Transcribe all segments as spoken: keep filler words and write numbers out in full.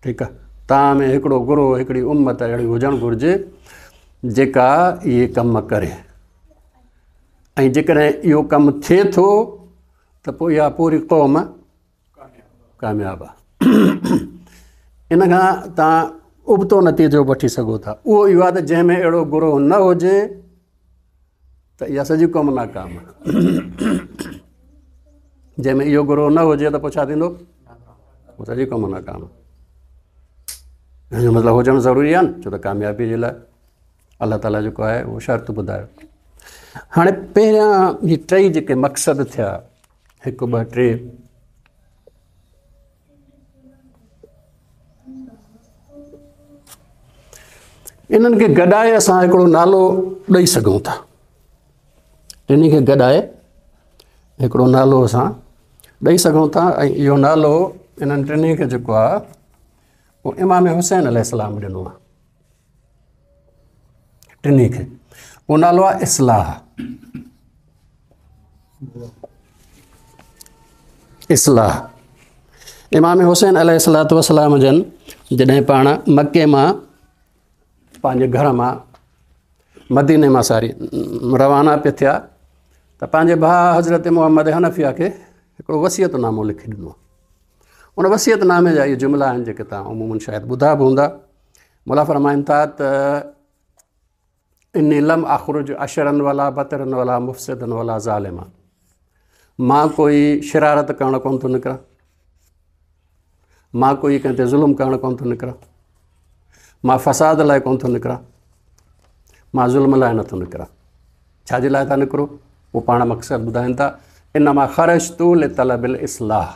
ٺيڪ آهي، توهان ۾ هڪڙو گروهه، هڪڙي امت اهڙي هجڻ گهرجي جيڪا اهي ڪم ڪري، ۽ جيڪڏهن اهو ڪم ٿئي ٿو ته پوءِ اها پوري قوم ڪامياب آهي. ان کان توهان ابتو نتيجو وٺي سگهو ٿا، اهو اهو آهي ته جنهن ۾ اهڙو گروهه نه هجي ته اها سڄي قوم ناڪام آهي. جنهن ۾ اهو گروهه نه هجي ته پوءِ ڇا ٿيندو؟ پوءِ سڄي قوم ناڪام آهي. هن جو مطلب هجڻ ضروري آهي نه، ڇو ته ڪاميابيءَ جي لاءِ الله تعاليٰ جيڪو آهي اهو شرط ٻڌايو. هاڻي پهريان هي ٽئي جيڪي مقصد ٿيا، هڪ ٻه ٽي، انهن کي گڏائي اسان هڪڙو نالو ڏيئي سگهون ٿا. ٽنهي کي گڏائي هڪڙو نالو اسان ڏيئي سگهون ٿا، ۽ اهو نالو انهن ٽنهي کي جيڪو آهي اهو امام حسين عليه السلام ڏنو آهي. ٽنهي کي اهو نالو آهي اصلاح. اصلاح امام حسين عليه السلام جن جڏهن پاڻ مڪي مان پنهنجي گهر مان مديني مان ساري روانا پئي ٿيا ته پنهنجي ڀاءُ حضرت محمد حنفيه کي هڪڙو وصيت نامو لکي ڏنو. ان وصيت نامي جا اهي جملا آهن جيڪي توهان عمومن شايد ٻڌا به هوندا. مولا فرمائن ٿا ته اني لم اخرج اشرن ولا بترن ولا مفسدن ولا ظالما، مان ڪوئي شرارت ڪرڻ ڪونه ٿو نڪران، مان ڪوئي ڪنهن تي ظلم ڪرڻ ڪونه ٿو نڪران، مان فساد لاءِ ڪونه ٿو نڪران، مان ظلم لاءِ نٿو نڪران. ڇا جي لاءِ ٿا نڪرو؟ اهو پاڻ مقصد ٻڌائين ٿا، انما خرجت لطلب الاصلاح،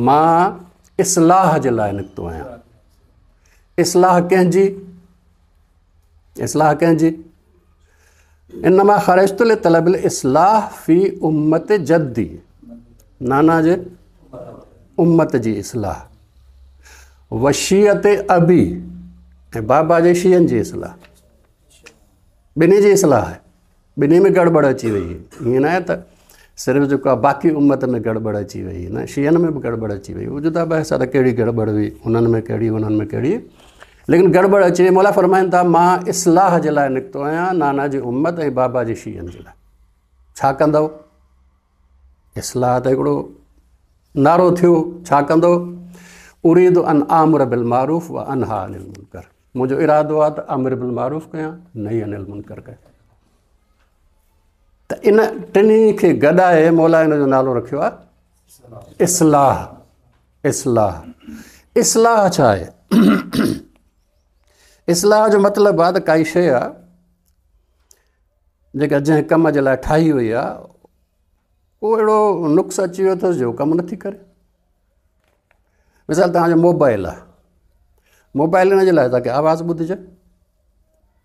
مان اصلاح جي لاءِ نڪتو آهيان. اصلاح ڪنهن جي؟ اصلاح ڪنهن جي؟ انما خرجت لطلب الاصلاح في امت جدي، نانا جي امت جي اصلاح، وشيعت ابي، ۽ بابا جي شيعن جي اصلاح. ٻنهي جي اصلاح آهي، ٻنهي ۾ گڙٻڙ اچي وئي. ائين نه آهي ته صرف جيڪو آهي باقي امت ۾ گڙٻڙ اچي وئي، نه، شيعن ۾ به گڙٻڙ اچي وئي. اهو جدا بحث آهي ته ڪهڙي گڙٻڙ هئي هنن ۾، ڪهڙي هنن ۾ ڪهڙي، ليڪن گڙٻڙ اچي وئي. مولا فرمائن ٿا مان اصلاح جي لاءِ نڪتو آهيان، نانا جي امت ۽ بابا جي شيعن جي لاءِ. ڇا ڪندؤ؟ اصلاح ته هڪڙو نعرو ٿيو. ڇا ڪندو؟ اريد ان آمر بالمعروف و انها عن المنڪر، منهنجو ارادو آهي ته امر بالمعروف ڪيان، نهي عن المنڪر ڪيان. ته ان ٽنهي کي گڏائي مولا ان جو نالو رکيو آهي اصلاح. اصلاح اصلاح ڇا آهي؟ اصلاح جو مطلب آهي ته ڪائي شيءِ آهي جيڪا جنهن ڪم جي لاءِ ٺاهي وئي آهي، ڪو اهڙو نقص اچي ويو اٿس جو ڪم نٿي ڪري. مثال توهان جو موبائل آهي، موبائل هن جي لاءِ تاڪه آواز ٻڌجي،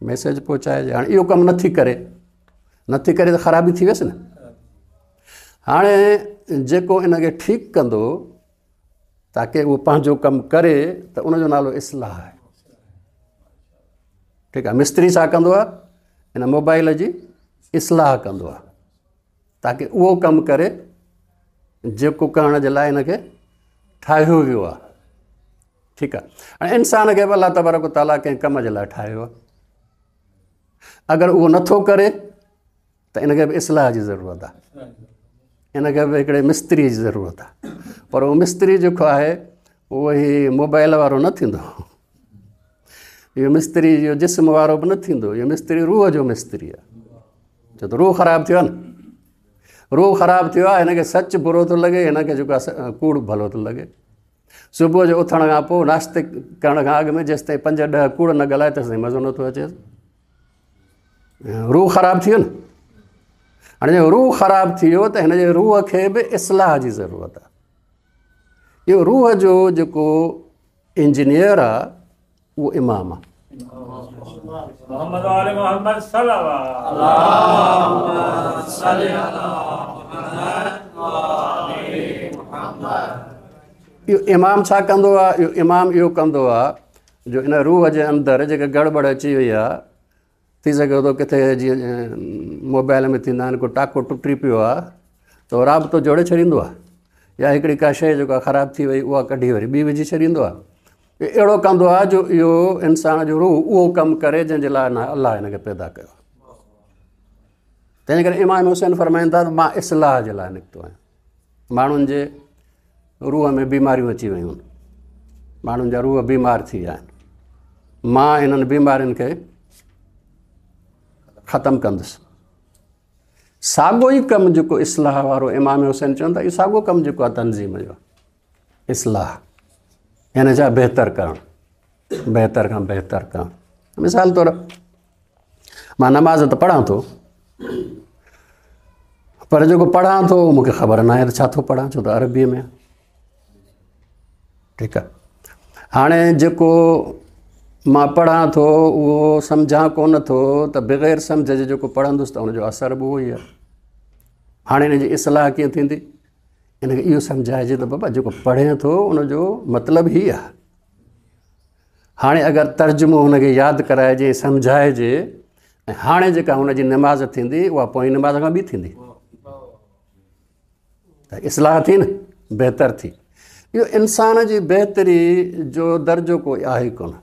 ميسيج پهچائجي. هاڻي اهو ڪم نٿي ڪري، نٿي ڪري ته خرابي ٿي ويس نه. هاڻي جيڪو ان کي ٺيڪ ڪندو تاڪه اهو پنهنجو ڪم ڪري، ته ان جو نالو اصلاح آهي. ٺيڪ آهي. مستري ڇا ڪندو آهي؟ هن موبائل جي اصلاح ڪندو آهي تاڪه اهو ڪم ڪري جيڪو ڪرڻ جي لاءِ هن کي ٺاهيو ويو آهي. ٺيڪ آهي. هاڻي انسان کي به الله تبارڪ تعاليٰ ڪنهن ڪم جي لاءِ ٺاهيو آهي. اگر اهو نٿو ڪري ته ان کي به اصلاح جي ضرورت آهي، ان کي به هڪڙي مستريءَ جي ضرورت آهي. پر اهو مستري جيڪو آهي اهو ئي موبائل وارو نه ٿيندو، اهو مستري جو جسم وارو به نه ٿيندو، اهو مستري روح جو مستري آهي. ڇو ته روح خراب ٿيو آهي نه، روح خراب ٿيو آهي، هن کي سچ برو ٿو لڳي، هن کي جيڪو آهي ڪوڙ ڀلو ٿو لڳي. صبح جو اٿڻ کان پوءِ ناشتي ڪرڻ کان اڳ ۾ جيس تائين پنج ڏهه ڪوڙ نه ڳالهائي تيس تائين مزو نٿو اچي. روح خراب ٿي ويو نه. هاڻي جي روح خراب ٿي ويو ته هن جي روح کي به اصلاح جي ضرورت آهي. اهو روح جو جيڪو انجنيئر آهي اهو امام آهي. محمد وآل محمد صلوات محمد. اهو امام ڇا ڪندو آهي؟ اهو امام اهو ڪندو آهي جو ان روح جي اندر جيڪا گڙٻڙ اچي وئي آهي، ٿي سگهي ٿو ڪٿي جيئن موبائل ۾ ٿيندا آهن، ڪو ٽاڪو ٽٽي پيو آهي ته رابطو جوڙي ڇڏيندو آهي، يا هڪڙي ڪا شيءِ جيڪا خراب ٿي وئي اها ڪڍي وري ٻي وجهي ڇڏيندو آهي. اهڙو ڪندو آهي جو اهو انسان جو روح اهو ڪم ڪري جنهن جي لاء الله هن کي پيدا ڪيو آهي. تنهن جي ڪري امام حسين فرمائن ٿا ته مان اصلاح جي لاءِ نڪتو آهيان. ماڻهن جي روح ۾ بيماريون اچي ويون آهن، ماڻهن جا روح بيمار ٿي ويا آهن، مان انهن بيمارين کي ختم ڪندس. ساڳيو ئي ڪم جيڪو اصلاح وارو امام حسين چون ٿا، اهو ساڳيو ڪم جيڪو آهي تنظيم جو، اصلاح يعني ڇا؟ بهتر ڪرڻ، بهتر کان بهتر ڪرڻ. مثال طور مان نماز ته پڙهان ٿو، پر جيڪو پڙهان ٿو مون کي خبر نه آهي ته ڇا ٿو پڙهان، ڇو ته عربيءَ ۾ آهي. ٺيڪ آهي، هاڻي جيڪو مان پڙهان ٿو اهو سمجهان ڪونه ٿو، ته بغير سمجهه جي جيڪو پڙهندس ته ان جو اثر به اهو ئي آهي. هاڻي هن جي اصلاح ڪيئن ٿيندي؟ هن کي اهو سمجهائجي ته بابا جيڪو پڙهي ٿو ان جو مطلب هيءُ آهي. هاڻي اگر ترجمو هن کي ياد ڪرائجي، سمجهائجي، ۽ هاڻي جيڪا هن جي نماز ٿيندي اها پوئين نماز کان ٻي ٿيندي، ته اصلاح ٿي نه، بهتر ٿي. اهو انسان جي بهتري جو درجو ڪوئي آهي ڪونه.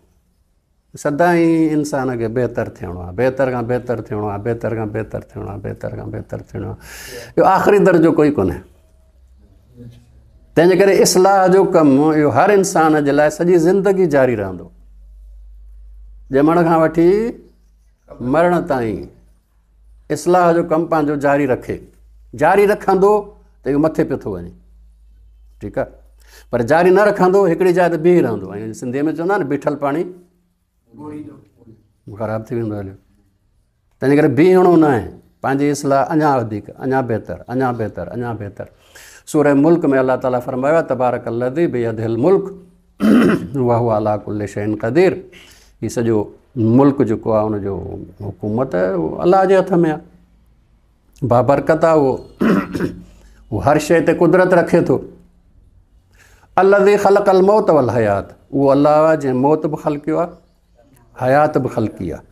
سدائين انسان کي بهتر ٿيڻو آهي، بهتر کان بهتر ٿيڻو آهي، بهتر کان بهتر ٿيڻو آهي، بهتر کان بهتر ٿيڻو آهي. اهو آخري درجو ڪوئي ڪونهي. تنهن جي ڪري اصلاح جو ڪم اهو هر انسان جي لاءِ سڄي زندگي جاري رهندو، ڄمڻ کان وٺي مرڻ تائين اصلاح جو ڪم پنهنجو جاري رکي. جاري رکندو ته اهو مٿي پيو ٿو وڃي، ٺيڪ آهي، پر جاري نه رکندو هڪڙي جاءِ تي بيهي رهندو. ۽ سنڌيءَ ۾ چوندا آهن بيٺل پاڻي خراب ٿي ويندو هليو. تنهن جي ڪري بيهڻو نه آهي، پنهنجي اصلاح اڃا وڌيڪ، اڃا بهتر، اڃا بهتر، اڃا بهتر. سورة ملڪ ۾ الله تعاليٰ فرمايو آهي تبارڪ الذي بيده الملڪ وهو عليٰ ڪل شيء قدير. هيءُ سڄو ملڪ جيڪو آهي ان جو حڪومت الله جي هٿ ۾ آهي، بابرڪت آهي، اهو اهو هر شيءِ تي قدرت رکي ٿو. الذي خلق الموت والحيات، اهو الله آهي جنهن موت به خلقيو آهي، حيات به خلقي آهي.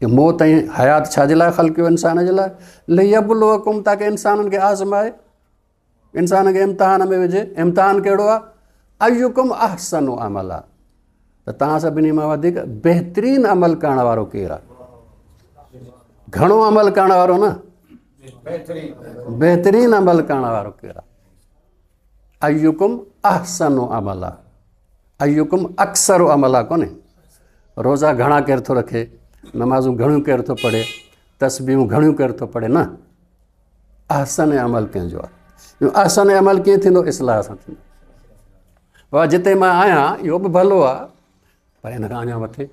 اهو موت ۽ حيات ڇا جي لاءِ خلقيو؟ انسان جي لاءِ. ليبلوڪم، تاڪه انسانن کي آزمائي، انسان کي امتحان ۾ وجهي. امتحان ڪهڙو آهي؟ ايڪم احسن عملا، ته توهان سڀني مان وڌيڪ بهترين عمل ڪرڻ وارو ڪير آهي؟ گهڻو عمل ڪرڻ وارو نه، بهترين عمل ڪرڻ وارو ڪير آهي؟ ايڪم احسن عملا، ايڪم اڪثر عملا ڪونهي. روزا گهڻا ڪير ٿو رکي، نمازون گهڻيون ڪير ٿو پڙهي، تسبيحون گهڻيون ڪير ٿو پڙهي، نه، احسن عمل ڪنهن جو آهي؟ اهو احسن عمل ڪيئن ٿيندو؟ اصلاح سان ٿيندو. بابا جتي مان آهيان اهو به ڀلو آهي، پر هن کان اڃا مٿي،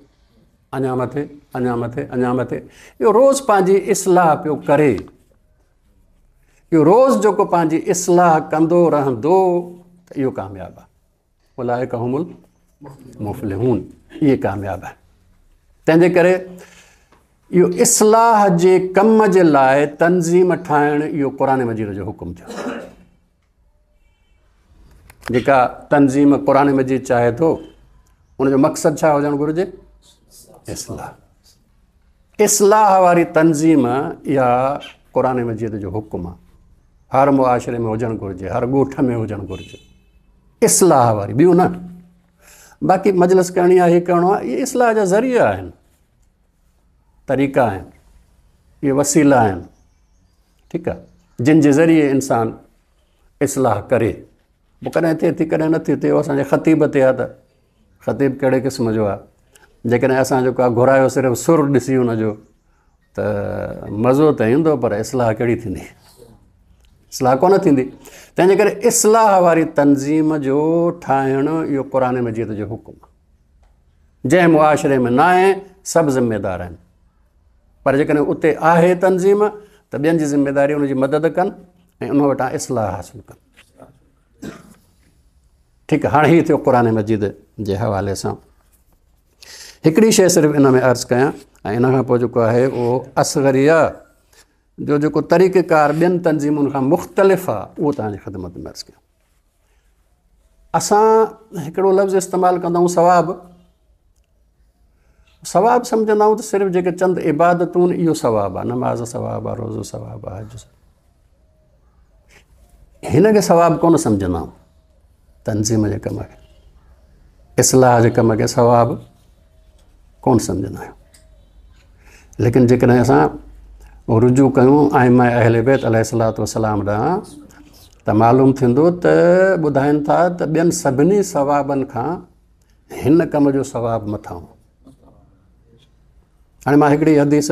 اڃا مٿي، اڃا مٿي، اڃا مٿي. اهو روز پنهنجي اصلاح پيو ڪري. اهو روز جيڪو پنهنجي اصلاح ڪندو رهندو ته اهو ڪامياب آهي. اولئڪ هم المفلحون، اهي ڪامياب آهن. تنهن جي ڪري اهو اصلاح جي ڪم جي لاءِ تنظيم ٺاهڻ اهو قرآن مجيد جو حڪم ٿيو. جيڪا تنظيم قرآن مجيد چاهي ٿو ان جو مقصد ڇا هجڻ گهرجي؟ اصلاح. اصلاح واري تنظيم اها قرآن مجيد جو حڪم آهي. هر معاشري ۾ هجڻ گهرجي، هر ڳوٺ ۾ هجڻ گهرجي اصلاح واري، ٻيون نه. باقي مجلس ڪرڻي آهي، هيءُ ڪرڻو آهي، اهي اصلاح جا ذريعا آهن، طريقا آهن، اهي وسيلا آهن، ٺيڪ آهي، جن جي ذريعي انسان اصلاح ڪري. پوءِ ڪڏهن ٿئي ٿي، ڪڏهن نٿي ٿئي. اهو اسان جي خطيب تي آهي ته خطيب ڪهڙي قسم جو آهي. جيڪڏهن اسان جيڪو آهي گهرايو صرف سر ڏسي هن جو ته مزو ته ايندو، پر اصلاح ڪهڙي ٿيندي؟ اصلاح ڪونه ٿيندي. تنهن جي ڪري اصلاح واري تنظيم جو ٺاهڻ اهو قرآن مجيد جو حڪم آهي. جنهن معاشري ۾ نه آهي سڀ ذميدار آهن، پر جيڪڏهن اتي آهي تنظيم ته ٻين جي ذميداري ان جي مدد ڪن ۽ ان وٽان اصلاح حاصل ڪن. ٺيڪ آهي، هاڻي هيءُ ٿيو قرآن مجيد جي حوالي سان. هڪڙي شيءِ صرف ان ۾ عرض ڪيان ۽ ان کان پوءِ جيڪو آهي اهو اصغريه جو جيڪو طريقيڪار ٻين تنظيمن کان مختلف آهي اهو توهان جي خدمت ۾ عرض ڪيان. اسان هڪڙو لفظ استعمال ڪندا آهيون ثواب. ثواب سمجهندا آهيون ته صرف جيڪي چند عبادتون اهو ثواب آهي، نماز ثواب آهي، روزو ثواب آهي، حج. هن کي ثواب ڪونه سمجهندا آهيون. تنظيم جي ڪم کي، اصلاح جي ڪم کي ثواب ڪونه سمجهندا آهيون. ليڪن جيڪڏهن اسان رجوع ڪيون ائمه اهل بيت عليه الصلوة والسلام ڏانهن ته معلوم ٿيندو ته ٻڌائين ٿا ته ٻين سڀني ثوابن کان هن ڪم جو ثواب مٿان. هاڻي مان هڪڙي حديث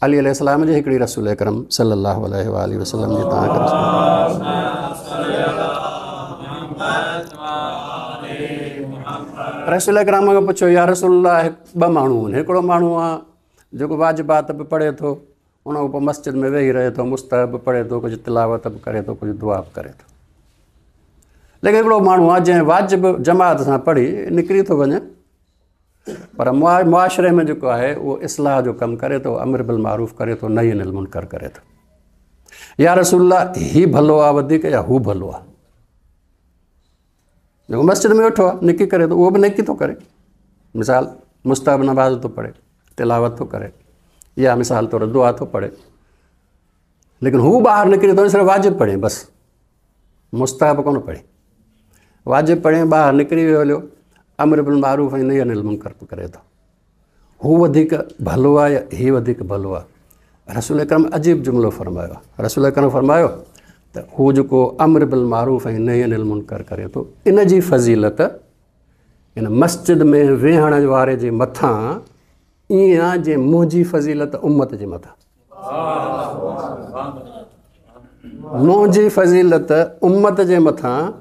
علي عليه السلام جي، هڪڙي رسول اڪرم صلي الله عليه وآله وسلم جي توهان کي رسول اڪرم کان پڇيو، يا رسول الله، ٻه ماڻهو آهن، هڪڙو ماڻهو آهي جيڪو واجبات به پڙهي ٿو، ان کان پوءِ مسجد ۾ ويهي رهي ٿو، مستحب به پڙهي ٿو، ڪجهه تلاوت به ڪري ٿو، ڪجهه دعا به ڪري ٿو. ليڪن هڪڙو ماڻهو آهي جنهن واجب جماعت سان پڙهي نڪري ٿو وڃي، پر معاشري ۾ جيڪو آهي اهو اصلاح جو ڪم ڪري ٿو، امر بالمعروف ڪري ٿو، نهي عن المنڪر ڪري ٿو. يا رسول الله، هي ڀلو آهي وڌيڪ يا هو ڀلو آهي؟ جيڪو مسجد ۾ ويٺو آهي نيڪي ڪري ٿو، اهو به نيڪي ٿو ڪري، مثال مستحب نماز ٿو پڙهي، تلاوت ٿو ڪري، يا مثال طور دعا ٿو پڙهي، ليڪن هو ٻاهر نڪري ٿو صرف واجب پڙهي، بس مستحب ڪونه پڙهي، واجب پڙهي ٻاهر نڪري ويو هليو، امر بالمعروف ۽ نهي عن المنڪر به ڪري ٿو، هو وڌيڪ ڀلو آهي يا هي وڌيڪ ڀلو آهي؟ رسول اڪرم عجيب جملو فرمايو آهي. رسول اڪرم فرمايو ته هو جيڪو امر بالمعروف ۽ نهي عن المنڪر ڪري ٿو، ان جي فضيلت ان مسجد ۾ ويهڻ واري جي مٿان ائين آهي جيئن منهنجي فضيلت امت جي مٿان. منهنجي فضيلت امت جي مٿان،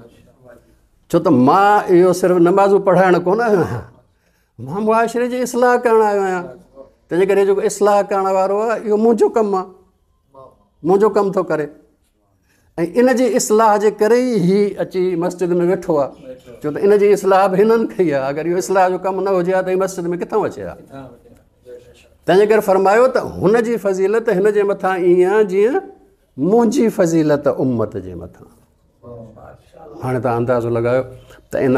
ڇو ته مان اهو صرف نمازون پڙهائڻ ڪونه آيو آهيان، مان معاشري جي اصلاح ڪرڻ آيو آهيان. تنهن جي ڪري جيڪو اصلاح ڪرڻ وارو آهي اهو منهنجو ڪم آهي، منهنجو ڪم ٿو ڪري، ۽ ان جي اصلاح جي ڪري ئي هي اچي مسجد ۾ ويٺو آهي، ڇو ته ان جي اصلاح به هنن ڪئي آهي. اگر اهو اصلاح جو ڪم نه هجي ها ته هي مسجد ۾ ڪٿان اچي ها؟ تنهن جي ڪري فرمايو ته هن جي فضيلت هن جي مٿان ائين آهي جيئن منهنجي فضيلت امت جي مٿان. هاڻي توهان اندازو لڳايو ته ان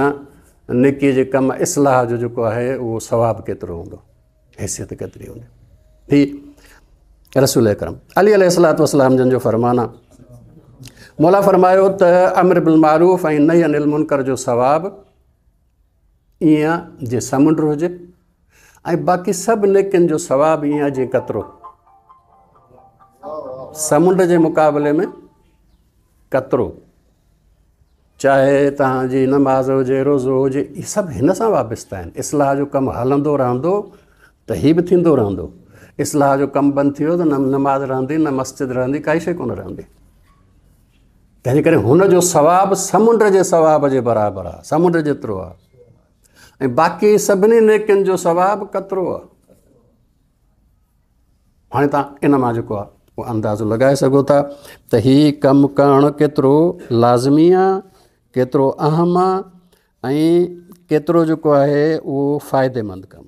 نيڪيءَ جي ڪم اصلاح جو جيڪو آهي اهو ثواب ڪيترو هوندو، حيثيت ڪيتري هوندي. هي رسول اڪرم علي عليه الصلوة والسلام جن جو فرمان آهي. مولا فرمايو ته امر بالمعروف ۽ نهي عن المنڪر جو ثواب ائين جيئن سمنڊ هجي، ۽ باقي سڀ نيڪين جو ثواب ائين جيئن قطرو، سمنڊ جي مقابلي ۾ قطرو. چاهي توهان جي نماز هجي، روزو هجي، اهي سڀ هن سان وابسته آهن. اصلاح جو ڪم هلندو رهندو ته هي به ٿيندو رهندو. اصلاح جو ڪم بند ٿي ويو ته نه نماز رهندي، نه مسجد رهندي، ڪائي شيءِ ڪونه رهندي. تنهن جي ڪري هن جو ثواب سمنڊ جي ثواب جي برابر آهي، سمنڊ جيترو آهي، ۽ باقي سڀني نيڪين جو ثواب قطرو آهي. هاڻي توهان ان مان جيڪو آهي اهو اندازو لڳائي سگهو ٿا ته هي ڪم ڪرڻ ڪيترو لازمي آهي، ڪيترو اهم آهي، ۽ ڪيترو جيڪو آهي اهو فائديمند ڪم.